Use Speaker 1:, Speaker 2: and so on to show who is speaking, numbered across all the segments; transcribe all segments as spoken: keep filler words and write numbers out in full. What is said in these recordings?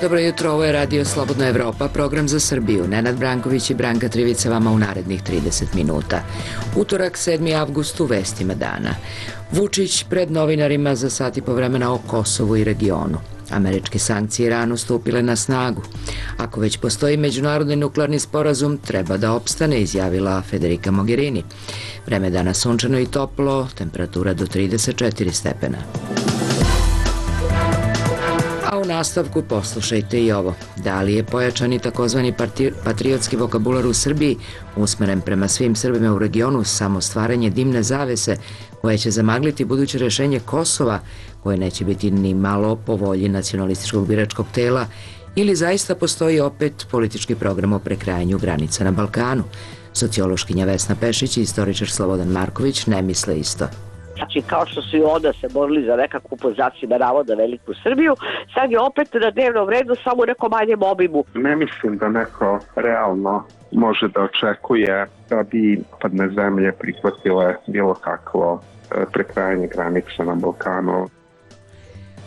Speaker 1: Dobro jutro, ovo je Radio Slobodna Evropa, program za Srbiju. Nenad Branković i Branka Trivica vama u narednih trideset minuta. Utorak, sedmi avgust, u vestima dana. Vučić pred novinarima za sat i po vremena o Kosovu i regionu. Američke sankcije Iranu stupile na snagu. Ako već postoji međunarodni nuklearni sporazum, treba da opstane, izjavila Federica Mogherini. Vreme dana sunčano i toplo, temperatura do trideset četiri stepena. A u nastavku poslušajte i ovo. Da li je pojačani takozvani patriotski vokabular u Srbiji usmeren prema svim Srbima u regionu samo stvaranje dimne zavese koje će zamagliti buduće rešenje Kosova, koje neće biti ni malo po volji nacionalističkog biračkog tela, ili zaista postoji opet politički program o prekrajanju granica na Balkanu? Sociološkinja Vesna Pešić i istoričar Slobodan Marković ne misle isto.
Speaker 2: Znači, kao što su i onda se borili za nekakvu pozaciju navoda Veliku Srbiju, sad je opet na dnevnom redu samo u nekom manjem obimu.
Speaker 3: Ne mislim da neko realno može da očekuje da bi padne zemlje prihvatile bilo kakvo prekrajanje granica na Balkanu.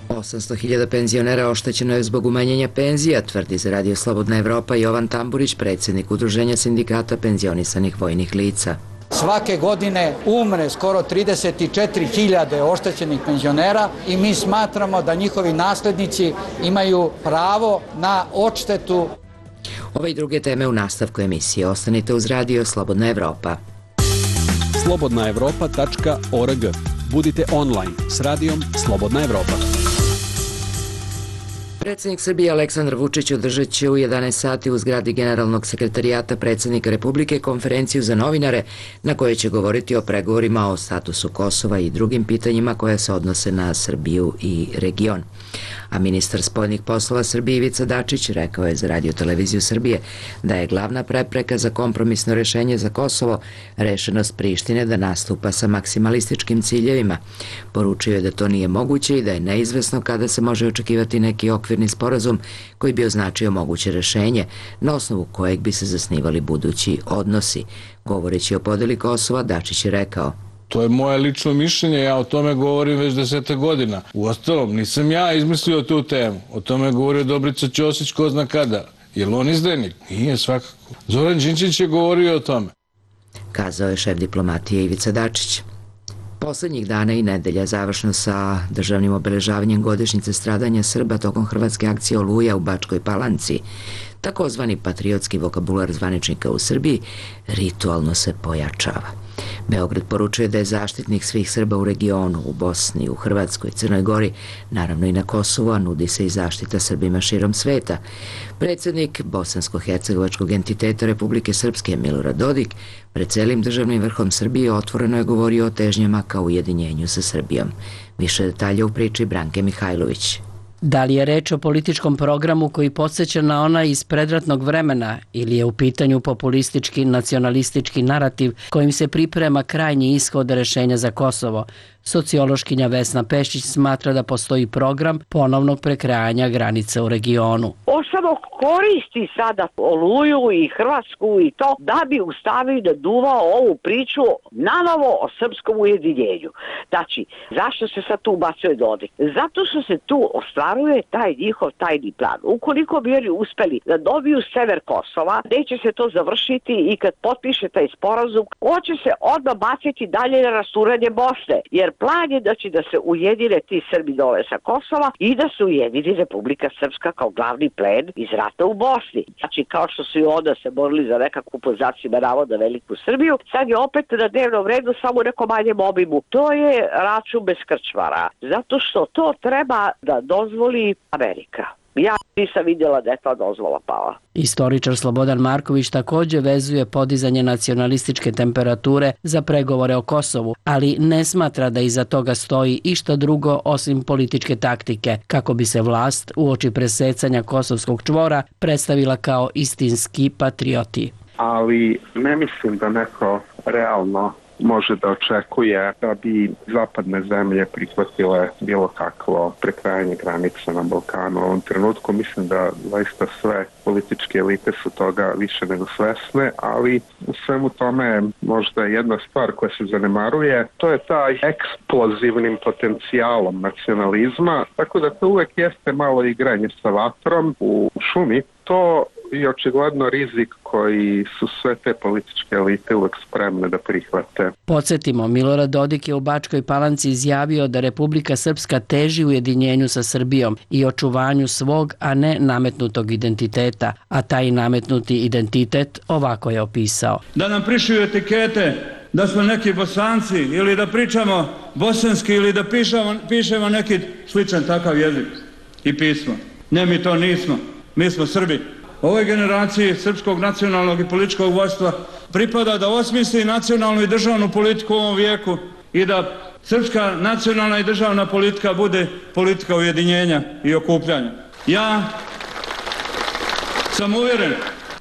Speaker 1: osamsto hiljada penzionera oštećeno je zbog umanjenja penzija, tvrdi za Radio Slobodna Evropa Jovan Tamburić, predsjednik Udruženja sindikata penzionisanih vojnih lica.
Speaker 4: Svake godine umre skoro trideset četiri hiljade oštećenih penzionera i mi smatramo da njihovi naslednici imaju pravo na odštetu.
Speaker 1: Ove i druge teme u nastavku emisije. Ostanite uz Radio Slobodna Evropa.
Speaker 5: slobodna evropa tačka org. Budite online s radijom Slobodna Evropa.
Speaker 1: Predsjednik Srbije Aleksandar Vučić održat će u jedanaest sati u zgradi Generalnog sekretarijata predsjednika Republike konferenciju za novinare na kojoj će govoriti o pregovorima o statusu Kosova i drugim pitanjima koja se odnose na Srbiju i region. A ministar spoljnih poslova Srbije Ivica Dačić rekao je za Radio televiziju Srbije da je glavna prepreka za kompromisno rešenje za Kosovo rešenost Prištine da nastupa sa maksimalističkim ciljevima. Poručio je da to nije moguće i da je neizvesno kada se može očekivati neki okvirni sporazum koji bi označio moguće rešenje na osnovu kojeg bi se zasnivali budući odnosi. Govoreći o podeli Kosova, Dačić je rekao:
Speaker 6: To je moje lično mišljenje, ja o tome govorim već deseta godina. Uostalom, nisam ja izmislio tu temu. O tome je govorio Dobrica Ćosić ko zna kada. Je li on izdajnik? Nije, svakako. Zoran Đinđić je govorio o tome.
Speaker 1: Kazao je šef diplomatije Ivica Dačić. Poslednjih dana i nedelja, završno sa državnim obeležavanjem godišnjice stradanja Srba tokom hrvatske akcije Oluja u Bačkoj Palanci, takozvani patriotski vokabular zvaničnika u Srbiji ritualno se pojačava. Beograd poručuje da je zaštitnik svih Srba u regionu, u Bosni, u Hrvatskoj, Crnoj Gori, naravno i na Kosovu, a nudi se i zaštita Srbima širom sveta. Predsjednik bosansko-hercegovačkog entiteta Republike Srpske Milorad Dodik pred celim državnim vrhom Srbije otvoreno je govorio o težnjama ka ujedinjenju sa Srbijom. Više detalja u priči Branke Mihajlović.
Speaker 7: Da li je reč o političkom programu koji podsjeća na onaj iz predratnog vremena ili je u pitanju populistički nacionalistički narativ kojim se priprema krajnji ishod rešenja za Kosovo? Sociološkinja Vesna Pešić smatra da postoji program ponovnog prekrajanja granica u regionu.
Speaker 2: On samo koristi sada Oluju i Hrvatsku i to da bi ustavio da duva ovu priču nanovo o srpskom ujedinjenju. Znači, zašto se sad tu ubacuje Dodik? Zato što se tu ostvaruje taj njihov tajni plan. Ukoliko bi oni uspeli da dobiju sever Kosova, neće se to završiti i kad potpiše taj sporazum, on će se odmah baciti dalje na rasturanje Bosne, jer plan je da će da se ujedine ti Srbi dole sa Kosova i da se ujedini Republika Srpska kao glavni plen iz rata u Bosni. Znači, kao što su i onda se borili za nekakvu pozaciju navoda Veliku Srbiju, sad je opet na dnevnom redu samo u nekom manjem obimu. To je račun bez krčmara, zato što to treba da dozvoli Amerika. Ja nisam vidjela da je ta dozvola pala.
Speaker 7: Istoričar Slobodan Marković također vezuje podizanje nacionalističke temperature za pregovore o Kosovu, ali ne smatra da iza toga stoji išta drugo osim političke taktike, kako bi se vlast uoči presecanja kosovskog čvora predstavila kao istinski patrioti.
Speaker 3: Ali ne mislim da neko realno može da očekuje da bi zapadne zemlje prihvatile bilo kakvo prekrajanje granica na Balkanu. U ovom trenutku mislim da zaista sve političke elite su toga više nego svesne, ali u svemu tome možda jedna stvar koja se zanemaruje, to je taj eksplozivnim potencijalom nacionalizma, tako da to uvek jeste malo igranje sa vatrom u šumi. To i očigledno rizik koji su sve te političke elite uvek spremne da prihvate.
Speaker 7: Podsjetimo, Milorad Dodik je u Bačkoj Palanci izjavio da Republika Srpska teži ujedinjenju sa Srbijom i očuvanju svog, a ne nametnutog identiteta, a taj nametnuti identitet ovako je opisao.
Speaker 8: Da nam prišiju etikete da smo neki Bosanci ili da pričamo bosanski ili da pišemo, pišemo neki sličan takav jezik i pismo. Ne, mi to nismo. Mi smo Srbi. Ovoj generaciji srpskog nacionalnog i političkog vodstva pripada da osmisli nacionalnu i državnu politiku u ovom vijeku i da srpska nacionalna i državna politika bude politika ujedinjenja i okupljanja. Ja sam uvjeren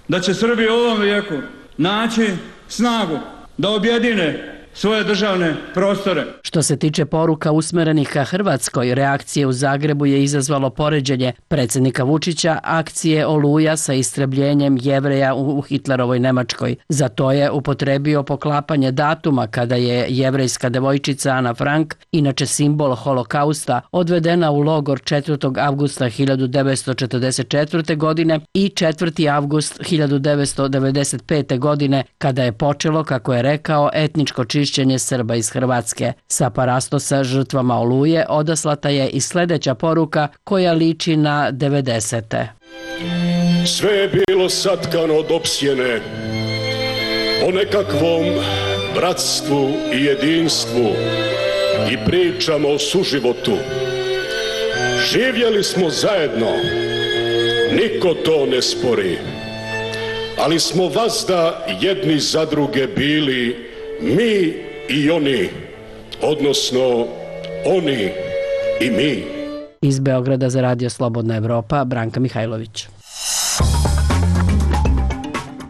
Speaker 8: da će Srbi u ovom vijeku naći snagu da objedine svoje državne prostore.
Speaker 7: Što se tiče poruka usmerenih ka Hrvatskoj, reakcije u Zagrebu je izazvalo poređenje predsjednika Vučića akcije Oluja sa istrebljenjem Jevreja u Hitlerovoj Nemačkoj. Za to je upotrebio poklapanje datuma kada je jevrejska devojčica Ana Frank, inače simbol holokausta, odvedena u logor četvrtog avgusta hiljadu devetsto četrdeset četvrte. godine i četvrti avgust hiljadu devetsto devedeset pete. godine, kada je počelo, kako je rekao, etničko čišćenje Srba iz Hrvatske. Sa parastosa žrtvama Oluje odaslata je i sljedeća poruka koja liči na devedesete.
Speaker 9: Sve je bilo satkano od opsjene o nekakvom bratstvu i jedinstvu i pričamo o suživotu. Živjeli smo zajedno, niko to ne spori, ali smo vazda jedni za druge bili mi i oni, odnosno oni i mi.
Speaker 7: Iz Beograda za Radio Slobodna Evropa, Branka Mihajlović.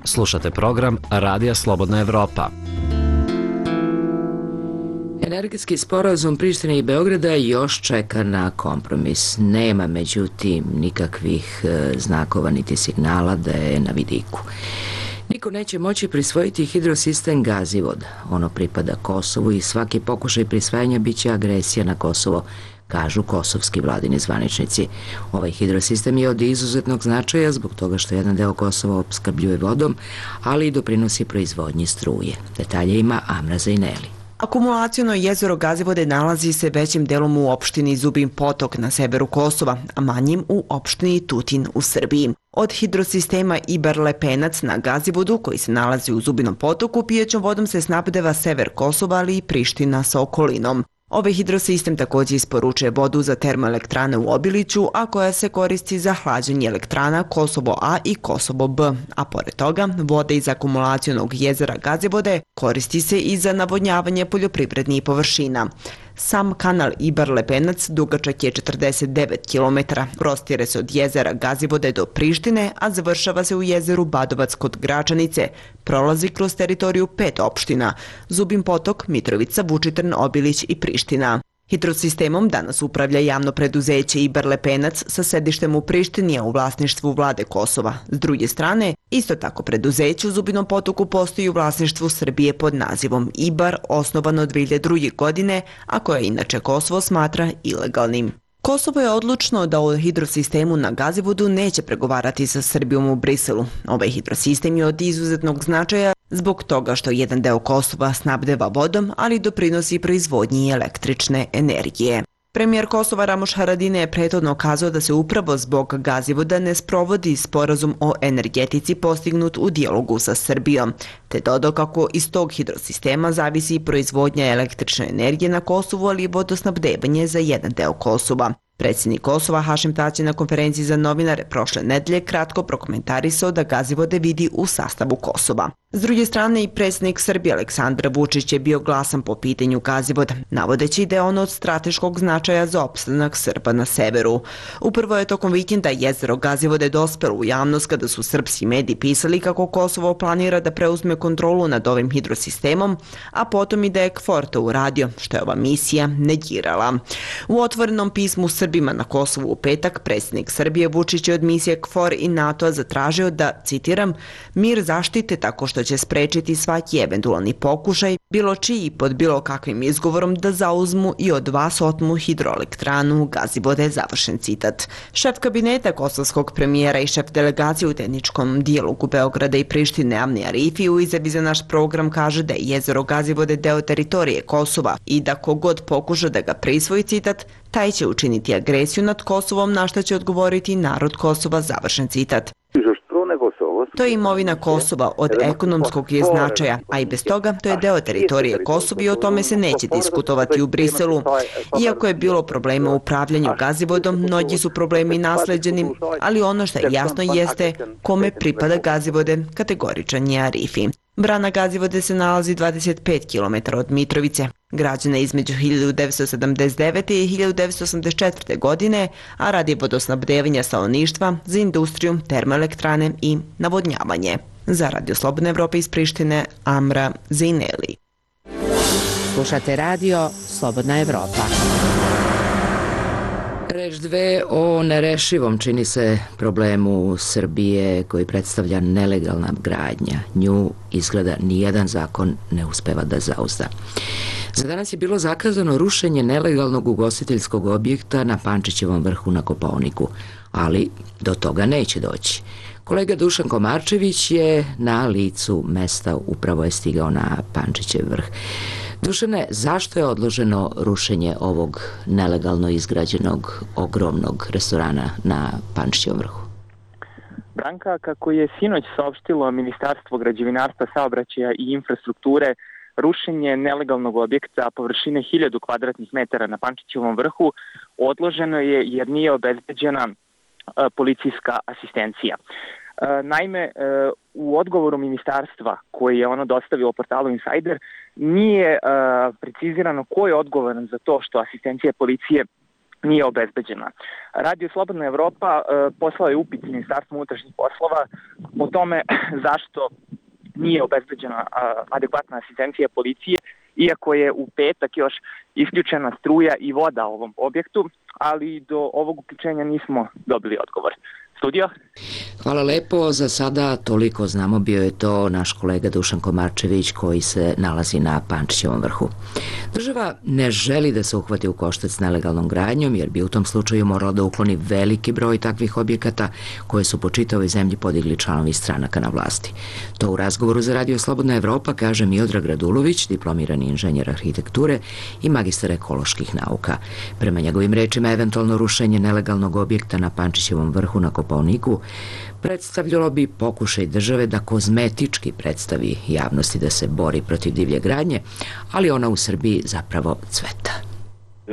Speaker 10: Slušate program Radija Slobodna Evropa.
Speaker 1: Energetski sporazum Prištine i Beograda još čeka na kompromis. Nema, međutim, nikakvih znakova niti signala da je na vidiku. Niko neće moći prisvojiti hidrosistem Gazivod. Ono pripada Kosovu i svaki pokušaj prisvajanja biće agresija na Kosovo, kažu kosovski vladini zvaničnici. Ovaj hidrosistem je od izuzetnog značaja zbog toga što jedan deo Kosova opskrbljuje vodom, ali i doprinosi proizvodnji struje. Detalje ima Amra Zajneli.
Speaker 11: Akumulaciono jezero Gazivode nalazi se većim delom u opštini Zubin Potok na severu Kosova, a manjim u opštini Tutin u Srbiji. Od hidrosistema Ibar Lepenac na Gazivodu, koji se nalazi u Zubinom potoku, pijećom vodom se snabdeva sever Kosova, ali i Priština sa okolinom. Ovaj hidrosistem također isporučuje vodu za termoelektrane u Obiliću, a koja se koristi za hlađenje elektrana Kosovo A i Kosovo B, a pored toga voda iz akumulacionog jezera Gazivode koristi se i za navodnjavanje poljoprivrednih površina. Sam kanal Ibar Lepenac dugačak je četrdeset devet kilometara, prostire se od jezera Gazivode do Prištine, a završava se u jezeru Badovac kod Gračanice, prolazi kroz teritoriju pet opština, Zubin Potok, Mitrovica, Vučitrn, Obilić i Priština. Hidrosistemom danas upravlja javno preduzeće Ibar Lepenac sa sedištem u Prištini, a u vlasništvu vlade Kosova. S druge strane, isto tako preduzeće u Zubinom potoku postoji u vlasništvu Srbije pod nazivom Ibar, osnovano dve hiljade druge. godine, a koje inače Kosovo smatra ilegalnim. Kosovo je odlučno da o hidrosistemu na Gazivodu neće pregovarati sa Srbijom u Briselu. Ovaj hidrosistem je od izuzetnog značaja zbog toga što jedan deo Kosova snabdeva vodom, ali doprinosi proizvodnji električne energije. Premijer Kosova Ramoš Haradinaj je prethodno kazao da se upravo zbog Gazivoda ne sprovodi sporazum o energetici postignut u dijalogu sa Srbijom, te dodao kako iz tog hidrosistema zavisi proizvodnja električne energije na Kosovu, ali i vodosnabdevanje za jedan deo Kosova. Predsjednik Kosova Hašim Tači na konferenciji za novinare prošle nedelje kratko prokomentarisao da Gazivode vidi u sastavu Kosova. S druge strane, i predsjednik Srbije Aleksandar Vučić je bio glasan po pitanju Gazivoda, navodeći da je ono od strateškog značaja za opstanak Srba na severu. Upravo je tokom vikenda jezero Gazivode dospelo u javnost kada su srpski mediji pisali kako Kosovo planira da preuzme kontrolu nad ovim hidrosistemom, a potom i da je KFOR to uradio, što je ova misija negirala. U otvorenom pismu Srbima na Kosovu u petak, predsjednik Srbije Vučić je od misije KFOR i NATO-a zatražio da, citiram, mir zaštite tako što će sprečiti svaki eventualni pokušaj, bilo čiji pod bilo kakvim izgovorom da zauzmu i od vas otmu hidroelektranu Gazivode, završen citat. Šef kabineta kosovskog premijera i šef delegacije u tehničkom dijalogu Beograda i Prištine Amni Arifi u izjavi za naš program kaže da je jezero Gazivode deo teritorije Kosova i da kogod pokuša da ga prisvoji, citat, taj će učiniti agresiju nad Kosovom, na što će odgovoriti narod Kosova, završen citat. To je imovina Kosova, od ekonomskog je značaja, a i bez toga to je deo teritorije Kosova i o tome se neće diskutovati u Briselu. Iako je bilo problema u upravljanju Gazivodom, mnogi su problemi nasleđeni, ali ono što je jasno jeste kome pripada Gazivode, kategoričan je Arifi. Brana Gazivode se nalazi dvadeset pet kilometara od Mitrovice. Građena između hiljadu devetsto sedamdeset devete. i hiljadu devetsto osamdeset četvrte. godine, a radi vodosnabdevanja stanovništva za industriju, termoelektrane i navodnjavanje. Za Radio Slobodna Evropa iz Prištine, Amra Zejneli.
Speaker 1: Slušate radio Slobodna Evropa. Reč dve o nerešivom, čini se, problemu Srbije koji predstavlja nelegalna gradnja. Nju izgleda nijedan zakon ne uspeva da zauzda. Za danas je bilo zakazano rušenje nelegalnog ugostiteljskog objekta na Pančićevom vrhu na Kopaoniku, ali do toga neće doći. Kolega Dušan Komarčević je na licu mesta, upravo je stigao na Pančićev vrh. Dušane, zašto je odloženo rušenje ovog nelegalno izgrađenog ogromnog restorana na Pančićevom vrhu?
Speaker 12: Branka, kako je sinoć saopštilo Ministarstvo građevinarstva, saobraćaja i infrastrukture, rušenje nelegalnog objekta površine hiljadu kvadratnih metara na Pančićevom vrhu odloženo je jer nije obezbeđena policijska asistencija. Naime, u odgovoru ministarstva koji je ono dostavilo portalu Insider nije precizirano ko je odgovoran za to što asistencija policije nije obezbeđena. Radio Slobodna Evropa poslao je upit Ministarstvu unutrašnjih poslova o tome zašto nije obezbeđena adekvatna asistencija policije, iako je u petak još isključena struja i voda ovom objektu, ali do ovog uključenja nismo dobili odgovor. Studio?
Speaker 1: Hvala lepo, za sada toliko znamo, bio je to naš kolega Dušan Komarčević koji se nalazi na Pančićevom vrhu. Država ne želi da se uhvati u koštac s nelegalnom gradnjom jer bi u tom slučaju morala da ukloni veliki broj takvih objekata koje su po čitavoj zemlji podigli članovi stranaka na vlasti. To u razgovoru za Radio Slobodna Evropa kaže Miodrag Radulović, diplomirani inženjer arhitekture i magistar ekoloških nauka. Prema njegovim rečima, eventualno rušenje nelegalnog objekta na Pančićevom vrhu na Kopaoniku predstavljalo bi pokušaj države da kozmetički predstavi javnosti da se bori protiv divlje gradnje, ali ona u Srbiji zapravo cveta.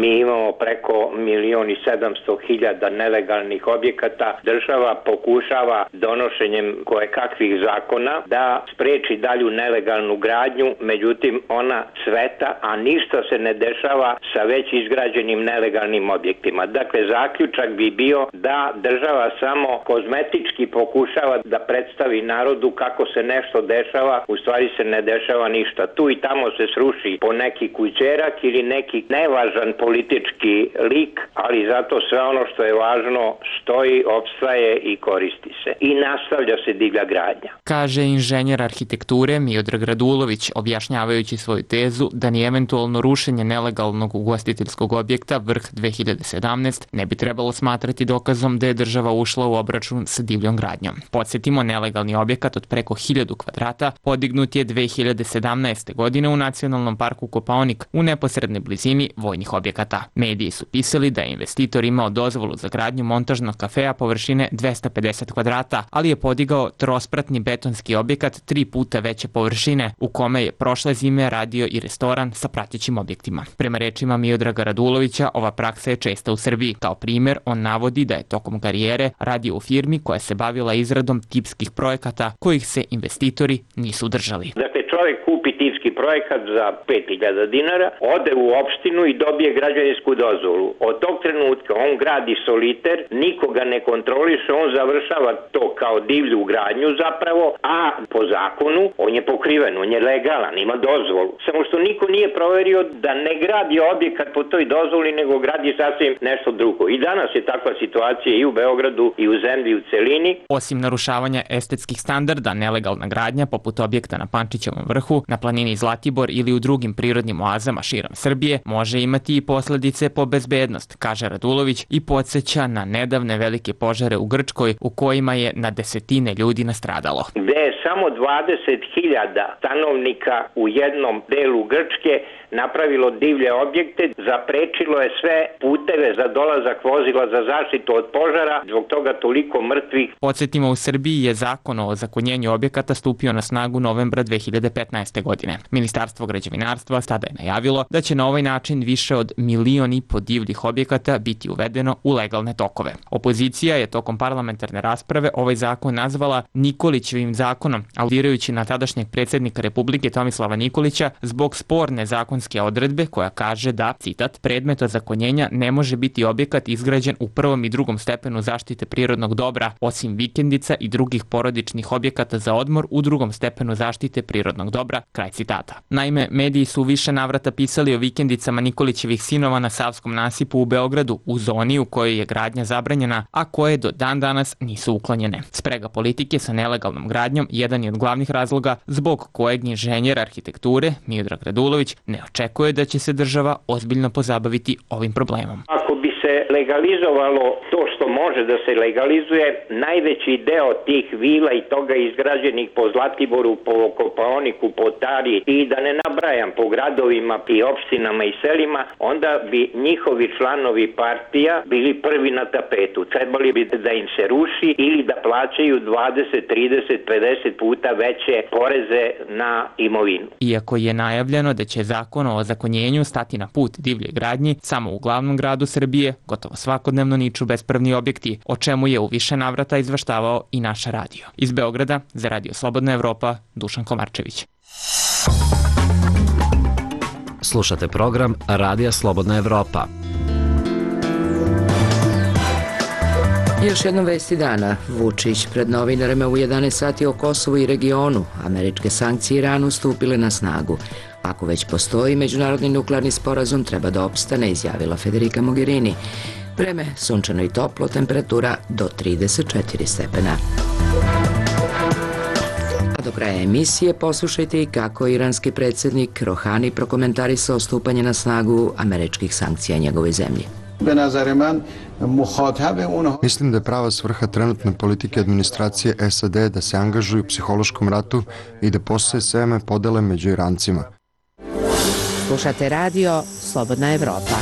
Speaker 13: Mi imamo preko milion i sedamsto hiljada nelegalnih objekata. Država pokušava donošenjem kojekakvih zakona da spreči dalju nelegalnu gradnju, međutim ona cveta, a ništa se ne dešava sa već izgrađenim nelegalnim objektima. Dakle, zaključak bi bio da država samo kozmetički pokušava da predstavi narodu kako se nešto dešava, u stvari se ne dešava ništa. Tu i tamo se sruši po neki kućerak ili neki nevažan politički lik, ali zato sve ono što je važno stoji, opstaje i koristi se. I nastavlja se divlja gradnja.
Speaker 12: Kaže inženjer arhitekture Miodrag Radulović, objašnjavajući svoju tezu da ni eventualno rušenje nelegalnog ugostiteljskog objekta Vrh dve hiljade sedamnaest ne bi trebalo smatrati dokazom da je država ušla u obračun sa divljom gradnjom. Podsjetimo, nelegalni objekat od preko hiljadu kvadrata podignut je dve hiljade sedamnaeste. godine u Nacionalnom parku Kopaonik u neposrednoj blizini vojnih objekata.
Speaker 14: objekata. Mediji su pisali da je investitor imao dozvolu za gradnju montažnog kafea površine dvesta pedeset kvadrata, ali je podigao trospratni betonski objekat tri puta veće površine, u kome je prošle zime radio i restoran sa pratećim objektima. Prema rečima Miodraga Radulovića, ova praksa je česta u Srbiji. Kao primjer, on navodi da je tokom karijere radio u firmi koja se bavila izradom tipskih projekata kojih se investitori nisu držali.
Speaker 13: Dakle, čovjek kupi tipski projekat za pet hiljada dinara, ode u opštinu i dobije građevinsku dozvolu. Od tog trenutka on gradi soliter, nikoga ne kontroliše, on završava to kao divlju gradnju zapravo, a po zakonu on je pokriven, on je legalan, ima dozvolu. Samo što niko nije proverio da ne gradi objekat po toj dozvoli, nego gradi sasvim nešto drugo. I danas je takva situacija i u Beogradu i u zemlji u celini.
Speaker 14: Osim narušavanja estetskih standarda, nelegalna gradnja poput objekta na Pančićevom vrhu, na planini Zlatibor ili u drugim prirodnim oazama širom Srbije može imati i posledice po bezbednost, kaže Radulović i podsjeća na nedavne velike požare u Grčkoj u kojima je na desetine ljudi nastradalo.
Speaker 13: Gde je samo dvadeset hiljada stanovnika u jednom delu Grčke napravilo divlje objekte, zaprečilo je sve puteve za dolazak vozila za zaštitu od požara, zbog toga toliko mrtvih.
Speaker 14: Podsjetimo, u Srbiji je zakon o ozakonjenju objekata stupio na snagu novembra dve hiljade petnaeste. godine. Ministarstvo građevinarstva tada je najavilo da će na ovaj način više od milion i po divljih objekata biti uvedeno u legalne tokove. Opozicija je tokom parlamentarne rasprave ovaj zakon nazvala Nikolićevim zakonom, aludirajući na tadašnjeg predsjednika Republike Tomislava Nikolića zbog sporne zakonske odredbe koja kaže da, citat, predmet ozakonjenja ne može biti objekat izgrađen u prvom i drugom stepenu zaštite prirodnog dobra, osim vikendica i drugih porodičnih objekata za odmor u drugom stepenu zaštite prirodnog dobra, kraj citata. Naime, mediji su više navrata pisali o vikendicama Nikolićevih sinova na Savskom nasipu u Beogradu, u zoni u kojoj je gradnja zabranjena, a koje do dan danas nisu uklonjene. Sprega politike sa nelegalnom gradnjom jedan je od glavnih razloga zbog kojeg inženjer arhitekture Miodrag Radulović ne očekuje da će se država ozbiljno pozabaviti ovim problemom.
Speaker 13: Ako bi se legalizovalo to što može da se legalizuje, najveći deo tih vila i toga izgrađenih po Zlatiboru, po Kopaoniku, po Tari i da ne nabrajam po gradovima i opštinama i selima, onda bi njihovi članovi partija bili prvi na tapetu. Trebali bi da im se ruši ili da plaćaju dvadeset, trideset, pedeset puta veće poreze na imovinu.
Speaker 14: Iako je najavljeno da će zakon o ozakonjenju stati na put divljoj gradnji, samo u glavnom gradu Srbije gotovo svakodnevno niču bespravni objekti, o čemu je u više navrata izveštavao i naš radio. Iz Beograda za Radio Slobodna Evropa, Dušan Komarčević.
Speaker 10: Slušate program Radija Slobodna Evropa.
Speaker 1: Još jednom vesti dana. Vučić pred novinarima u jedanaest sati o Kosovu i regionu. Američke sankcije Iranu stupile na snagu. Ako već postoji međunarodni nuklearni sporazum, treba da opstane, izjavila Federica Mogherini. Vreme sunčano i toplo, temperatura do trideset četiri stepena. A do kraja emisije poslušajte i kako iranski predsjednik Rohani prokomentarisao stupanje na snagu američkih sankcija njegovoj zemlji.
Speaker 15: Mislim da je prava svrha trenutne politike administracije S A D da se angažuju u psihološkom ratu i da postoje seme podele među Irancima.
Speaker 7: Slušate radio Slobodna Evropa.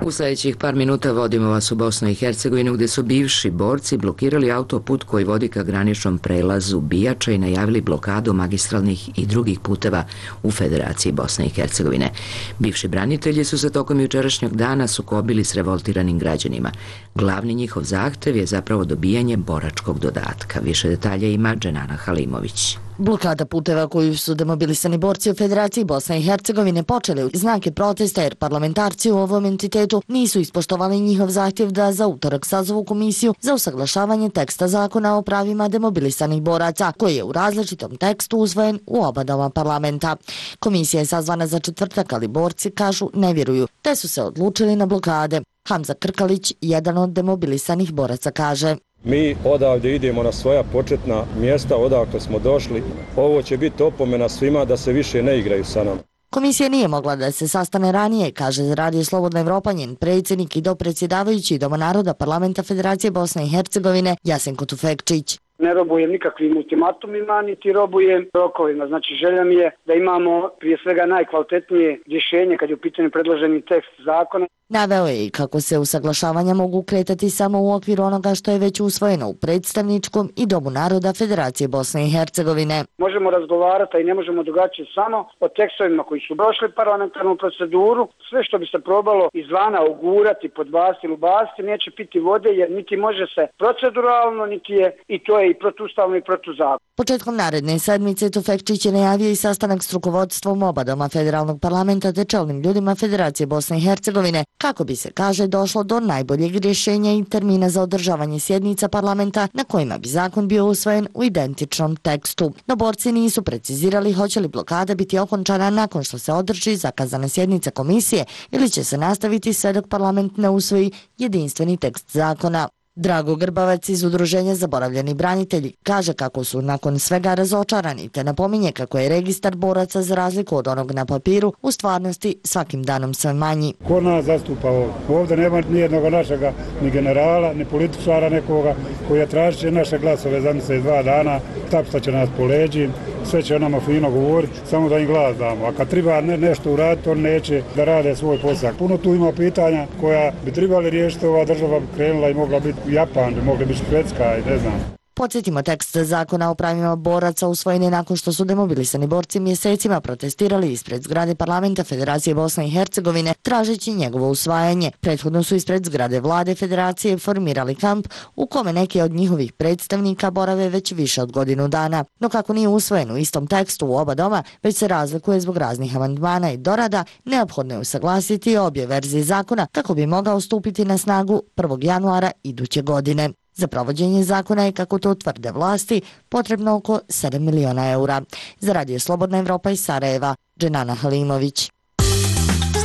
Speaker 1: U sljedećih par minuta vodimo vas u Bosnu i Hercegovinu, gdje su bivši borci blokirali autoput koji vodi ka graničnom prelazu Bijača i najavili blokadu magistralnih i drugih puteva u Federaciji Bosne i Hercegovine. Bivši branitelji su se tokom jučerašnjeg dana sukobili s revoltiranim građanima. Glavni njihov zahtev je zapravo dobijanje boračkog dodatka. Više detalja ima Dženana Halimović.
Speaker 16: Blokada puteva koju su demobilisani borci u Federaciji Bosne i Hercegovine počeli u znake protesta jer parlamentarci u ovom entitetu nisu ispoštovali njihov zahtjev da za utorak sazovu komisiju za usaglašavanje teksta zakona o pravima demobilisanih boraca, koji je u različitom tekstu usvojen u oba doma parlamenta. Komisija je sazvana za četvrtak, ali borci kažu ne vjeruju, te su se odlučili na blokade. Hamza Krkalić, jedan od demobilisanih boraca, kaže:
Speaker 17: Mi odavde idemo na svoja početna mjesta odakle smo došli. Ovo će biti opomena svima da se više ne igraju sa nama.
Speaker 16: Komisija nije mogla da se sastane ranije, kaže za Radio Slobodna Evropa njen predsjednik i dopredsjedavajući Doma naroda Parlamenta Federacije Bosne i Hercegovine Jasenko Tufekčić.
Speaker 18: Ne robujem nikakvim ultimatumima, niti robujem rokovima. Znači, želja mi je da imamo prije svega najkvalitetnije rješenje kad je u pitanju predloženi tekst zakona.
Speaker 16: Naveo je i kako se usaglašavanja mogu kretati samo u okviru onoga što je već usvojeno u predstavničkom i Domu naroda Federacije Bosne i Hercegovine.
Speaker 18: Možemo razgovarati i ne možemo drugačije samo o tekstovima koji su prošli parlamentarnu proceduru. Sve što bi se probalo izvana ugurati, podbasti ili ubasti neće piti vode jer niti može se proceduralno, niti je i to je i protuustavno i protuzakonito.
Speaker 16: Početkom naredne sedmice Tufekčić je najavio i sastanak s rukovodstvom oba doma federalnog parlamenta te čelnim ljudima Federacije Bosne i Hercegovine, kako bi se, kaže, došlo do najboljeg rješenja i termina za održavanje sjednica parlamenta na kojima bi zakon bio usvojen u identičnom tekstu. No borci nisu precizirali hoće li blokada biti okončana nakon što se održi zakazana sjednica komisije ili će se nastaviti sve dok parlament ne usvoji jedinstveni tekst zakona. Drago Grbavac iz Udruženja Zaboravljeni branitelji kaže kako su nakon svega razočarani te napominje kako je registar boraca za razliku od onog na papiru u stvarnosti svakim danom sve manji.
Speaker 17: Ko nas zastupa ovdje? Ovdje nema nijednog našega ni generala, ni političara nekoga koji je tražit će naše glasove za mjesec dva dana, tapšta će nas po leđi, sve će onama fino govoriti, samo da im glas damo. A kad treba ne, nešto uraditi, on neće da rade svoj posao. Puno tu ima pitanja koja bi trebali riješiti, ova država bi krenula i mogla biti Japan, bi mogla biti Švedska i ne znam.
Speaker 16: Podsjetimo, tekst zakona o pravima boraca usvojen je nakon što su demobilisani borci mjesecima protestirali ispred zgrade parlamenta Federacije Bosne i Hercegovine tražeći njegovo usvajanje. Prethodno su ispred zgrade vlade Federacije formirali kamp u kome neki od njihovih predstavnika borave već više od godinu dana. No kako nije usvojen u istom tekstu u oba doma, već se razlikuje zbog raznih amandmana i dorada, neophodno je usaglasiti obje verzije zakona kako bi mogao stupiti na snagu prvog januara iduće godine. Za provođenje zakona je, kako to tvrde vlasti, potrebno oko sedam miliona eura. Za Radio Slobodna Evropa iz Sarajeva, Dženana Halimović.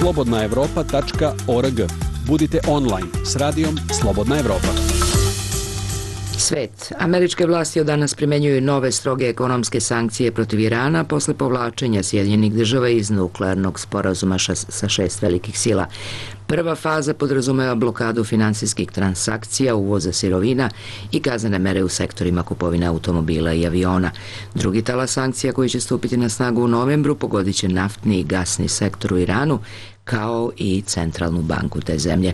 Speaker 5: slobodna evropa tačka org. Budite online s radijom Slobodna Evropa.
Speaker 1: Svet. Američke vlasti od danas primenjuju nove stroge ekonomske sankcije protiv Irana posle povlačenja Sjedinjenih država iz nuklearnog sporazuma sa šest velikih sila. Prva faza podrazumeva blokadu finansijskih transakcija, uvoza sirovina i kaznene mere u sektorima kupovine automobila i aviona. Drugi talas sankcija koji će stupiti na snagu u novembru pogodit će naftni i gasni sektor u Iranu, kao i centralnu banku te zemlje.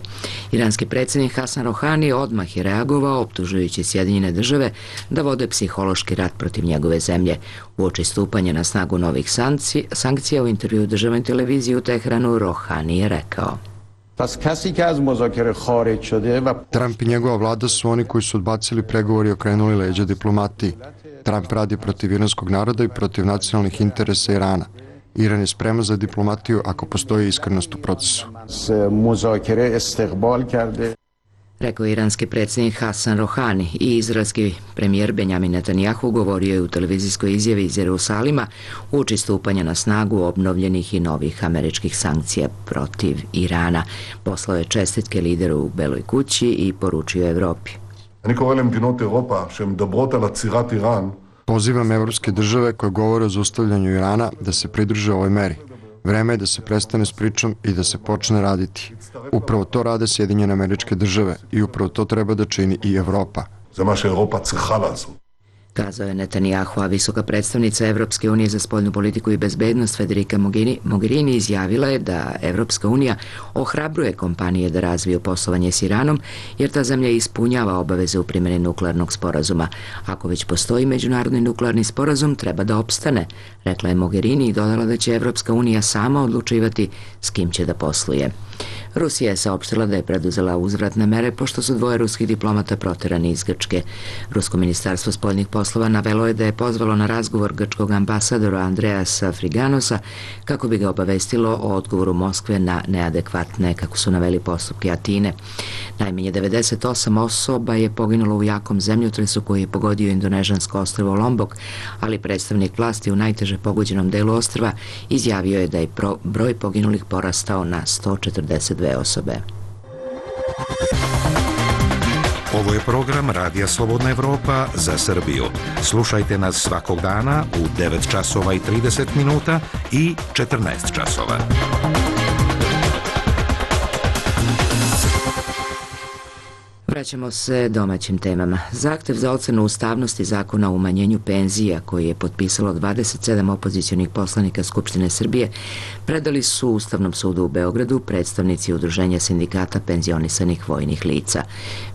Speaker 1: Iranski predsjednik Hasan Rohani odmah je reagovao optužujući Sjedinjene države da vode psihološki rat protiv njegove zemlje. Uoči stupanja na snagu novih sankcija u intervju državnoj televiziji u Teheranu Rohani je rekao:
Speaker 15: Trump i njegova vlada su oni koji su odbacili pregovori i okrenuli leđa diplomatiji. Trump radi protiv iranskog naroda i protiv nacionalnih interesa Irana. Iran je spreman za diplomatiju ako postoji iskrenost u procesu.
Speaker 1: Rekao je iranski predsjednik Hasan Rohani. I izraelski premijer Benjamin Netanjahu govorio je u televizijskoj izjavi iz Jerusalima uoči stupanja na snagu obnovljenih i novih američkih sankcija protiv Irana. Poslao je čestitke lideru u Beloj kući i poručio Evropi.
Speaker 15: Pozivam evropske države koje govore o zaustavljanju Irana da se pridruže ovoj meri. Vreme je da se prestane s pričom i da se počne raditi. Upravo to rade Sjedinjene Američke Države i upravo to treba da čini i Evropa.
Speaker 1: Kazao je Netanjahu, a visoka predstavnica Evropske unije za spoljnu politiku i bezbednost Federica Mogherini izjavila je da Evropska unija ohrabruje kompanije da razviju poslovanje s Iranom, jer ta zemlja ispunjava obaveze u primjeni nuklearnog sporazuma. Ako već postoji međunarodni nuklearni sporazum, treba da opstane, rekla je Mogherini i dodala da će Evropska unija sama odlučivati s kim će da posluje. Rusija je saopštila da je preduzela uzvratne mere pošto su dvoje ruskih diplomata proterani iz Grčke. Rusko ministarstvo spoljnih poslova navelo je da je pozvalo na razgovor grčkog ambasadora Andreasa Friganosa kako bi ga obavestilo o odgovoru Moskve na neadekvatne, kako su naveli, postupke Atine. Najmanje devedeset osam osoba je poginulo u jakom zemljotresu koji je pogodio indonežansko ostrvo Lombok, ali predstavnik vlasti u najteže pogođenom delu ostrva izjavio je da je broj poginulih porastao na sto četrdeset dve osobe.
Speaker 19: Ovo je program Radija Slobodna Evropa za Srbiju. Slušajte nas svakog dana u devet časova i trideset minuta i četrnaest časova.
Speaker 1: Vraćamo se domaćim temama. Zahtev za ocenu ustavnosti zakona o umanjenju penzija, koji je potpisalo dvadeset sedam opozicionih poslanika Skupštine Srbije, predali su Ustavnom sudu u Beogradu predstavnici Udruženja sindikata penzionisanih vojnih lica.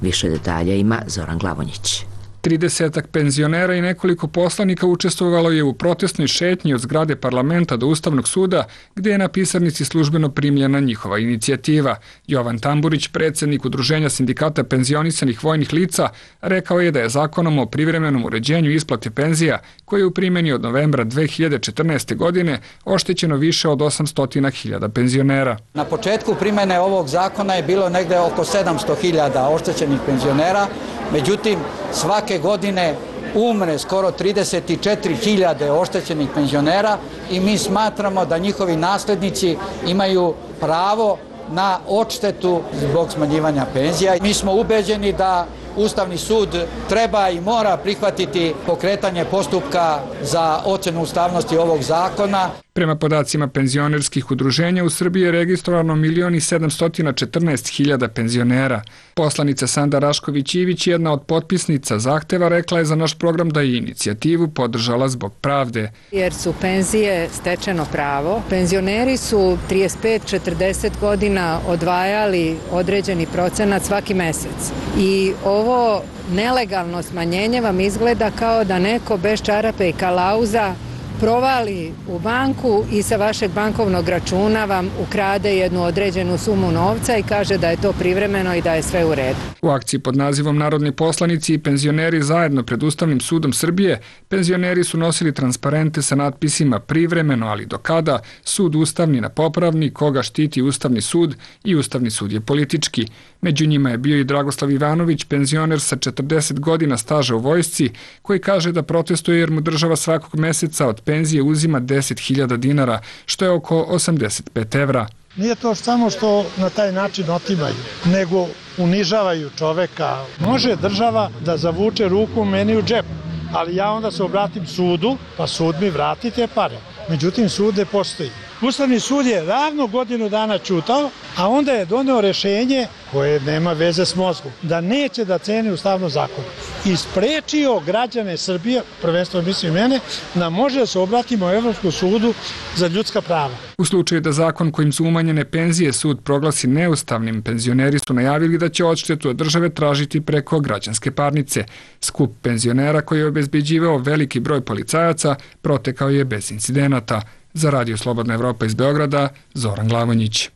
Speaker 1: Više detalja ima Zoran Glavonjić.
Speaker 20: Tridesetak penzionera i nekoliko poslanika učestvovalo je u protestnoj šetnji od zgrade parlamenta do Ustavnog suda, gde je na pisarnici službeno primljena njihova inicijativa. Jovan Tamburić, predsednik Udruženja sindikata penzionisanih vojnih lica, rekao je da je zakonom o privremenom uređenju isplate penzija, koji je u primjeni od novembra dve hiljade četrnaeste. godine, oštećeno više od osamsto hiljada penzionera.
Speaker 4: Na početku primjene ovog zakona je bilo negde oko sedamsto hiljada oštećenih penzionera, međutim, svake godine umre skoro trideset četiri hiljade oštećenih penzionera i mi smatramo da njihovi naslednici imaju pravo na odštetu zbog smanjivanja penzija. Mi smo ubeđeni da Ustavni sud treba i mora prihvatiti pokretanje postupka za ocenu ustavnosti ovog zakona.
Speaker 20: Prema podacima penzionerskih udruženja, u Srbiji je registrovano milion i sedamsto četrnaest hiljada penzionera. Poslanica Sanda Rašković-Ivić, jedna od potpisnica zahteva, rekla je za naš program da je inicijativu podržala zbog pravde.
Speaker 21: Jer su penzije stečeno pravo. Penzioneri su trideset pet do četrdeset godina odvajali određeni procenat svaki mesec. I ovo nelegalno smanjenje vam izgleda kao da neko bez čarape i kalauza provali u banku i sa vašeg bankovnog računa vam ukrade jednu određenu sumu novca i kaže da je to privremeno i da je sve u redu.
Speaker 20: U akciji pod nazivom Narodni poslanici i penzioneri zajedno pred Ustavnim sudom Srbije, penzioneri su nosili transparente sa natpisima privremeno, ali do kada, sud ustavni na popravni, koga štiti Ustavni sud i Ustavni sud je politički. Među njima je bio i Dragoslav Ivanović, penzioner sa četrdeset godina staža u vojsci, koji kaže da protestuje jer mu država svakog meseca od penzije uzima deset hiljada dinara, što je oko osamdeset pet evra.
Speaker 22: Nije to samo što na taj način otimaju, nego unižavaju čoveka. Može država da zavuče ruku meni u džep, ali ja onda se obratim sudu, pa sud mi vrati te pare. Međutim, sud ne postoji. Ustavni sud je ravno godinu dana ćutao, a onda je doneo rešenje koje nema veze s mozgom, da neće da ceni ustavno zakon. I sprečio građane Srbije, prvenstveno mislim mene, da može da se obratimo Evropskom sudu za ljudska prava.
Speaker 20: U slučaju da zakon kojim su umanjene penzije sud proglasi neustavnim, penzioneri su najavili da će odštetu od države tražiti preko građanske parnice. Skup penzionera koji je obezbeđivao veliki broj policajaca protekao je bez incidenata. Za Radio Slobodna Evropa iz Beograda, Zoran Glavonjić.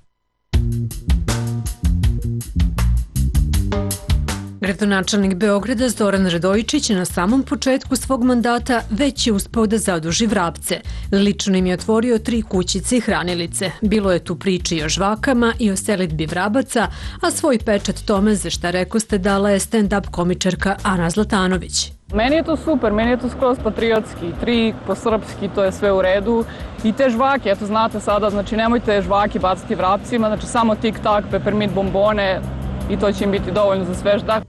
Speaker 23: Gradonačelnik Beograda Zoran Radojičić na samom početku svog mandata već je uspeo da zaduži Vrapce. Lično im je otvorio tri kućice i hranilice. Bilo je tu priče i o žvakama i o selidbi Vrabaca, a svoj pečat tome, za šta rekoste, dala je stand-up komičarka Ana Zlatanović.
Speaker 24: Meni je to super, meni je to skroz patriotski, trik po srpski, to je sve u redu. I te žvake, eto znate sada, znači nemojte žvake baciti Vrapcima, znači samo tik-tak, peppermint bombone i to će im biti dovoljno za svež dak.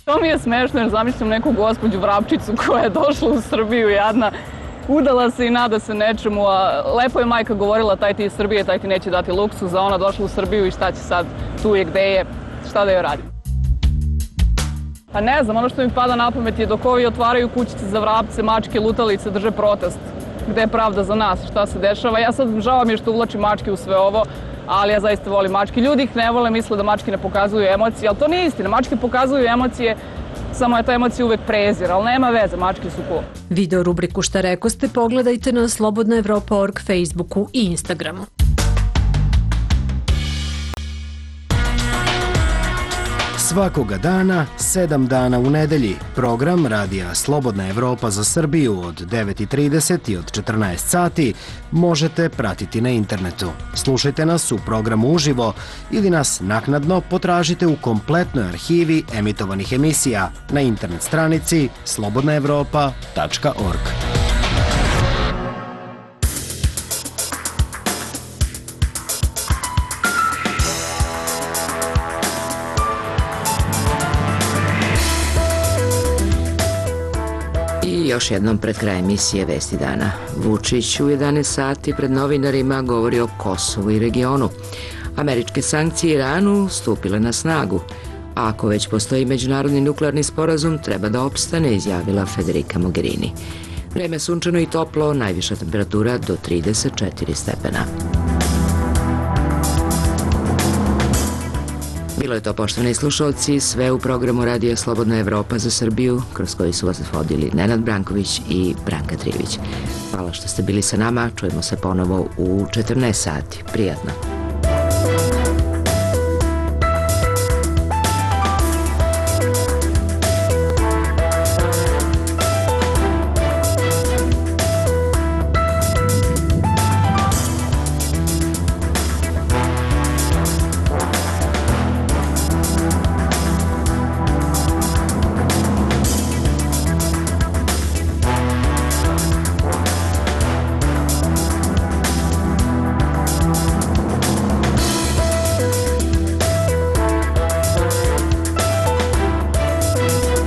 Speaker 24: To mi je smešno jer zamišljam neku gospođu Vrapčicu koja je došla u Srbiju jadna, udala se i nada se nečemu, a lepo je majka govorila taj ti iz Srbije, taj ti neće dati luksuz, a ona došla u Srbiju i šta će sad, tu je gde je, šta da joj radi. Pa ne znam, ono što mi pada na pamet je dok ovi otvaraju kućice za vrapce, mačke, lutalice, drže protest. Gde je pravda za nas, šta se dešava. Ja sad žao mi je što uvlačim mačke u sve ovo, ali ja zaista volim mačke. Ljudi ih ne vole, misle da mačke ne pokazuju emocije, ali to nije istina. Mačke pokazuju emocije, samo je ta emocija uvek prezir, ali nema veze, mačke su cool.
Speaker 23: Video rubriku Šta rekoste pogledajte na slobodna evropa tačka org, Facebooku i Instagramu.
Speaker 25: Svakoga dana, sedam dana u nedelji, program Radija Slobodna Evropa za Srbiju od devet i trideset i od četrnaest sati možete pratiti na internetu. Slušajte nas u programu uživo ili nas naknadno potražite u kompletnoj arhivi emitovanih emisija na internet stranici slobodna evropa tačka org.
Speaker 1: Još jednom pred kraj emisije Vesti dana. Vučić u jedanaest sati pred novinarima govori o Kosovu i regionu, Američke sankcije Iranu stupile na snagu. A ako već postoji međunarodni nuklearni sporazum, treba da opstane, izjavila Federica Mogherini. Vreme sunčano i toplo, najviša temperatura do trideset četiri stepena. Bilo je to, poštovani slušalci, sve u programu Radija Slobodna Evropa za Srbiju, kroz koji su vas vodili Nenad Branković i Branka Trivić. Hvala što ste bili sa nama, čujemo se ponovo u četrnaest sati. Prijatno.